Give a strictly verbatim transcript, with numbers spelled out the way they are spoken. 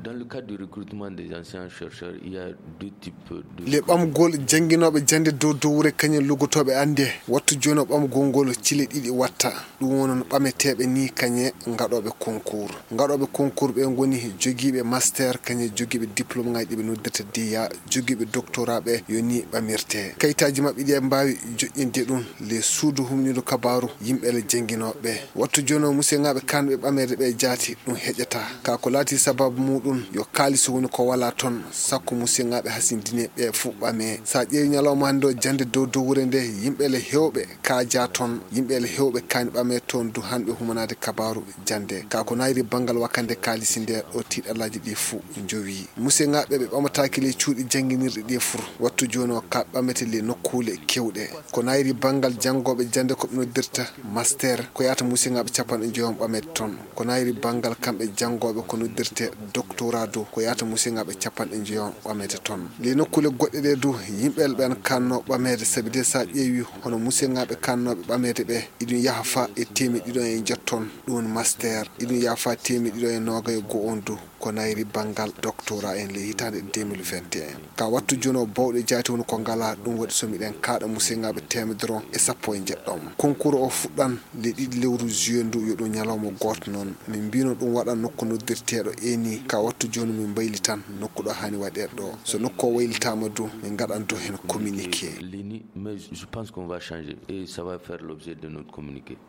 Dans le cadre du recrutement des enseignants-chercheurs, il y a deux types de... Le ɓamgol jannginooɓe jannde dow dowre kañum luggotooɓe annde. Wattu jooni o ɓamgol ngol cile ɗiɗi watta. Ɗum wonon ɓameteeɓe ni kañe ngaɗooɓe concours. Ngaɗooɓe concours ɓe ngoni jogiiɓe master, kañe jogiiɓe diplôme ngaji ɗi ɓe noddirta diya, jogiiɓe doctorat ɓe yo ni ɓamirte. Kayitaaji maɓɓe ɗi mbaawi joƴƴinde ɗum le suudu humniidu kabaaru yimɓe le jannginooɓe. Wattu jooni o musiyaŋaaɓe kaanɓe ɓameede ɓe jaati ɗum heƴata. Ka ko laati sababu muɗum yo kaalis woni ko wala toon, sakko musiyaŋaaɓe hasindine ɓe fuu ɓame. Sa ƴeewi ñalawma hannde o jannde dow dowre nde, yimɓe le heewɓe kaaja toon, yimɓe le heewɓe kaani ɓame toon du hanɓe humanaade kabaaru jannde. Ka ko nayri banngal wakkande kaalisi nde ɗo tiiɗalaaji ɗi fuu njowi. Musiyaŋaaɓe ɓe ɓamataaki le cuuɗi jannginirɗi ɗi fur. Wattu jooni o ka ɓamete le nokkuule kewɗe. Ko nayri banngal janngooɓe jannde ko ɓe noddirta master, ko yaata musiyaŋaaɓe capanɗe njoyon ɓamete toon. Ko nayri banngal kamɓe janngooɓe ko noddirte doctorat du, ko yaata musiyaŋaaɓe capanɗe njoyon ɓamete toon. Le nokkuule goɗɗe ɗe du, yimɓe ɓen kanno ɓameede, sabi de sa ƴeewi hono musiyaŋaaɓe kannooɓe ɓameede ɓe, iɗum yaha fa e teemeɗɗe ɗiɗo e njetton, ɗum master, iɗum yaha fa teemeɗɗe ɗiɗo e noogay e go'o on du. Ko nayri banngal doctorat en le hitaande deux mille vingt et un. Ka wattu jooni o bawɗe jaati woni ko ngala, ɗum waɗi so miɗen kaaɗa musiyaŋaaɓe teemedere on e sappo e njeɗɗo. Concours o fuɗɗan le ɗiɗi lewru juillet ndu, yo ɗum ñalawma gooto noon. Min mbino ɗum waɗan nokku noddirteeɗo eni. Ka wattu jooni min mbaylitan nokku ɗo haani waɗeede ɗo. So nokku o waylitaama du, min ngaɗan du heen communiqué. L'eni, mais je pense qu'on va changer et ça va faire l'objet de notre communiqué.